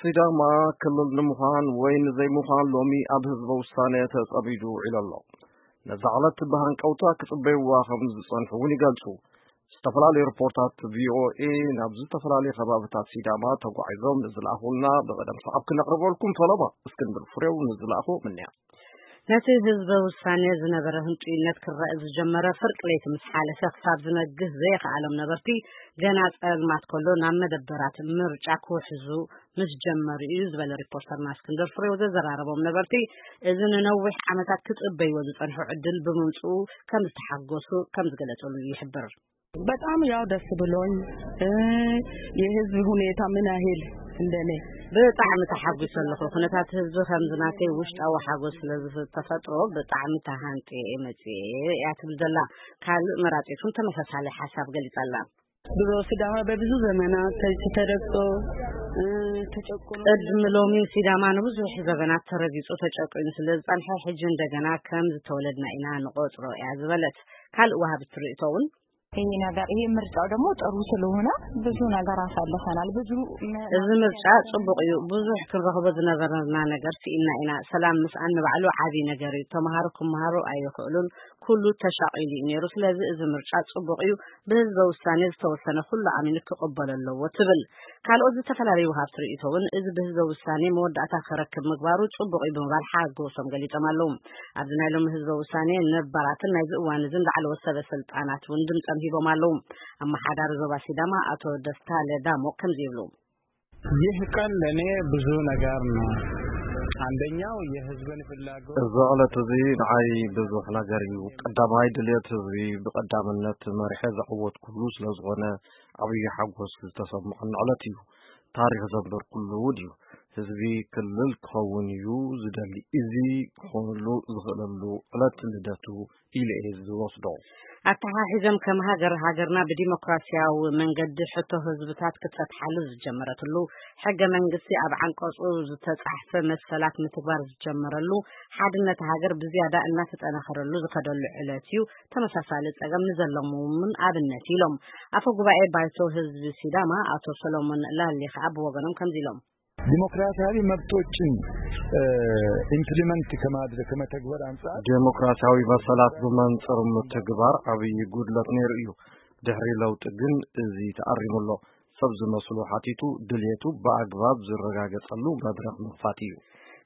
ሲዳማ ክልል ንምዃን ወይ ንዘይምዃን ሎሚ ኣብ ህዝበ ውሳነ ተጸሚዱ ውዒሉ ኣሎ። ነዛ ዕለት ብሃንቀውታ ክጽበይዋ ከም ዝጸንሑ እውን ይገልጹ። ዝተፈላለዩ ሪፖርታት ቪኦኤ ናብ ዝተፈላለዩ ከባብታት ሲዳማ ተጓዒዞም ንዝለኣኹልና ብቐደም ሰዓብ ክነቕርበልኩም ፈለማ። እስክንድር ፍሬው ንዝለኣኹ ምንያ። ነቲ ህዝበ ውሳኔ ዝነበረ ህንጡይነት ክረአ ዝጀመረ ፍርቂ ለይቲ ምስ ሓለፈ ክሳብ ዝነግህ ዘየኸኣሎም ነበርቲ፣ ገና ጸልማት ከሎ ናብ መደበራት ምርጫ ክውሕዙ ምስ ጀመሩ እዩ ዝበለ ሪፖርተርና እስክንድር ፍሬው፣ ዘዘራረቦም ነበርቲ እዚ ንነዊሕ ዓመታት ክጽበይዎ ዝጸንሑ ዕድል ብምምጽኡ ከም ዝተሓጎሱ ከም ዝገለጸሉ ይሕብር። በጣም ያው ደስ ብሎኝ፣ እ፣ የህዝብ ሁኔታ ምን ያህል እንደኔ ብጣዕሚ ተሓጒሰ ኣለኹ። ኩነታት ህዝቢ ከምዚ ናተይ ውሽጣዊ ሓጎስ ስለ ዝተፈጥሮ ብጣዕሚ ተሃንጥየ እየ መፅየ እያ ትብል ዘላ። ካልእ መራፂት እውን ተመሳሳሊ ሓሳብ ገሊፃ ኣላ። ድሮ ሲዳማ በብዙ ዘመናት ተረግጦ፣ እ፣ ተጨቁኖ ቅድሚ ሎሚ ሲዳማ ንብዙሕ ዘበናት ተረጊጹ ተጨቁኑ ስለ ዝጸንሐ፣ ሕጂ እንደገና ከም ዝተወለድና ኢና ንቆጽሮ እያ ዝበለት ካልእ ወሃቢት ርእይቶ እውን። ይሄ ነገር፣ ይሄ ምርጫው ደግሞ ጥሩ ስለሆነ ብዙ ነገር አሳልፈናል። ብዙ መ- እዚ ምርጫ ጽቡቕ እዩ። ብዙሕ ክንረኽቦ ዝነበረና ነገር ስኢና ኢና። ሰላም ምስኣን ንባዕሉ ዓቢ ነገር እዩ። ተምሃሮ ክምሃሩ ኣይኽእሉን። ኩሉ ተሻቒሉ እዩ ነይሩ። ስለዚ እዚ ምርጫ ጽቡቕ እዩ። ብህዝበ ውሳኔ ዝተወሰነ ኩሉ ኣሚኑ ክቕበሎ ኣለዎ ትብል። ካልኦት ዝተፈላለዩ ወሃብቲ ርእይቶ እውን እዚ ብህዝበ ውሳኔ መወዳእታ ክረክብ ምግባሩ ጽቡቕ እዩ ብምባል ሓጎሶም ገሊጾም ኣለዉ። ኣብዚ ናይ ሎሚ ህዝበ ውሳኔ ነባራትን ናይዚ እዋን እዝን ላዕለዎት ሰበ ስልጣናት እውን ድምጾም ሂቦም ኣለዉ። ኣመሓዳሪ ዞባ ሲዳማ ኣቶ ደስታ ለዳሞ ከምዚ ይብሉ። ይህ ቀን ለእኔ ብዙ ነገር ነው። አንደኛው የህዝብን ፍላጎት እዚ ዕለት እዚ ንዓይ ብዙሕ ነገር እዩ። ቀዳማይ ድልየት ህዝቢ ብቀዳምነት መሪሐ ዘዕወትኩሉ ስለ ዝኾነ ዓብዪ ሓጎስ ዝተሰምዖኒ ዕለት እዩ። ታሪኽ ዘንበርኩሉ እውን እዩ። ህዝቢ ክልል ክኸውን እዩ ዝደሊ። እዚ ክኾነሉ ዝኽእለሉ ዕለት ልደቱ ኢለ እየ ዝወስዶ። ኣተሓሒዞም ከም ሃገር፣ ሃገርና ብዲሞክራሲያዊ መንገዲ ሕቶ ህዝብታት ክትፈትሓሉ ዝጀመረትሉ፣ ሕገ መንግስቲ ኣብ ዓንቀጹ ዝተጻሕፈ መሰላት ምትግባር ዝጀመረሉ፣ ሓድነት ሃገር ብዝያዳ እናተጠናኸረሉ ዝኸደሉ ዕለት እዩ። ተመሳሳሊ ጸገም ንዘለዎም እውን ኣብነት ኢሎም። ኣፈ ጉባኤ ባይቶ ህዝቢ ሲዳማ ኣቶ ሰሎሞን ላሊ ከኣ ብወገኖም ከምዚ ኢሎም። ዲሞክራሲያዊ መብቶችን፣ እ፣ ኢምፕሊመንት ከማድረግ፣ ከመተግበር አንጻር ዴሞክራሲያዊ መሰላት ብመንጽር ምትግባር ዓብዪ ጉድለት ነይሩ እዩ። ድሕሪ ለውጢ ግን እዚ ተኣሪሙ ኣሎ። ሰብ ዝመስሉ ሓቲቱ ድልየቱ ብኣግባብ ዝረጋገጸሉ መድረኽ ምኽፋት እዩ።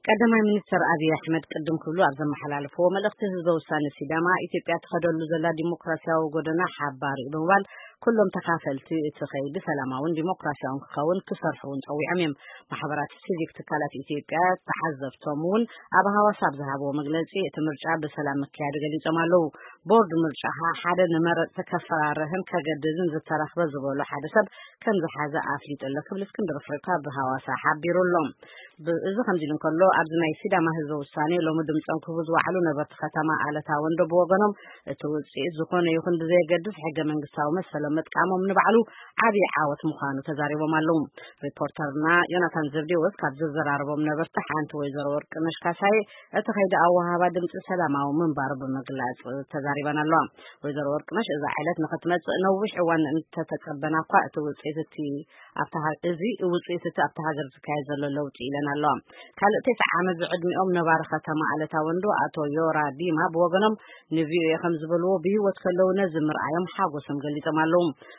ቀዳማይ ሚኒስትር ኣብይ ኣሕመድ ቅድም ክብሉ ኣብ ዘመሓላለፍዎ መልእኽቲ፣ ህዝበ ውሳነ ሲዳማ ኢትዮጵያ ትኸደሉ ዘላ ዲሞክራሲያዊ ጎደና ሓባሪ እዩ ብምባል፣ ኩሎም ተኻፈልቲ እቲ ኸይዲ ሰላማውን ዲሞክራሲያውን ክኸውን ክሰርሑ እውን ጸዊዖም እዮም። ማሕበራት ሲቪክ ትካላት ኢትዮጵያ ተዓዘብቶም እውን ኣብ ሃዋሳ ኣብ ዝሃብዎ መግለጺ፣ እቲ ምርጫ ብሰላም ምክያዱ ገሊጾም ኣለዉ። ቦርድ ምርጫ ኸኣ ሓደ ንመረጽቲ ከፈራርህን ከገድድን ዝተረኽበ ዝበሎ ሓደ ሰብ ከም ዝሓዘ ኣፍሊጡ ኣሎ ክብል እስክንድር ኣፍሪካ ብሃዋሳ ሓቢሩ ኣሎ። ብ-፣ እዚ ከምዚ ኢሉ እንከሎ፣ ኣብዚ ናይ ሲዳማ ህዝበ ውሳኔ ሎሚ ድምጾም ክህቡ ዝወዓሉ ነበርቲ ከተማ ኣለታ ወንዶ ብወገኖም፣ እቲ ውጽኢት ዝኾነ ይኹን ብዘየገድስ ሕገ መንግስታዊ መሰሎም ምጥቃሞም ንባዕሉ ዓብዪ ዓወት ምዃኑ ተዛሪቦም ኣለዉ። ሪፖርተርና ዮናታን ዘብዴዎስ ካብ ዘዘራረቦም ነበርቲ ሓንቲ ወይዘሮ ወርቅነሽ ካሳዬ፣ እቲ ከይዲ ኣወሃህባ ድምጺ ሰላማዊ ምንባሩ ብምግላጽ ተዛሪበን ኣለዋ። ወይዘሮ ወርቅነሽ፣ እዛ ዕለት ንኽትመጽእ ነዊሕ እዋን እንተተጸበና እኳ፣ እቲ ውጽኢት እቲ ኣብታ ሃ-፣ እዚ ውጽኢት እቲ ኣብታ ሃገር ዝካየድ ዘሎ ለውጢ ኢለን ኣለዋ። ካልእ ተስዓ ዓመት ዝዕድሚኦም ነባሪ ከተማ ኣለታ ወንዶ ኣቶ ዮራ ዲማ ብወገኖም ንቪኦኤ ከም ዝበልዎ፣ ብህይወት ከለዉ ነዚ ምርኣዮም ሓጎሶም ገሊጾም ኣለዉ።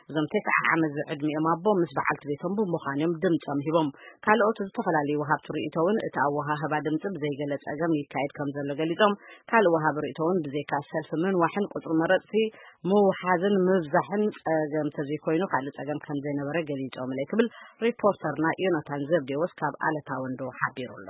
እዞም ተስዓ ዓመት ዝዕድሚኦም ኣቦ ምስ በዓልቲ ቤቶም ብምዃን እዮም ድምጾም ሂቦም። ካልኦት ዝተፈላለዩ ወሃብቲ ርእይቶ እውን እቲ ኣወሃህባ ድምጺ ብዘይገለ ጸገም ይካየድ ከም ዘሎ ገሊጾም፣ ካልእ ወሃቢ ርእይቶ እውን ብዘይካ ሰልፊ ምንዋሕን ቁጽሪ መረጽቲ ምውሓዝን ምብዛሕን ጸገም ተዘይኮይኑ ካልእ ጸገም ከም ዘይነበረ ገሊጾምለይ ክብል ሪፖርተርና ዮናታን ዘብዴዎስ ካብ ኣለታ ወንዶ ሓቢሩ ኣሎ።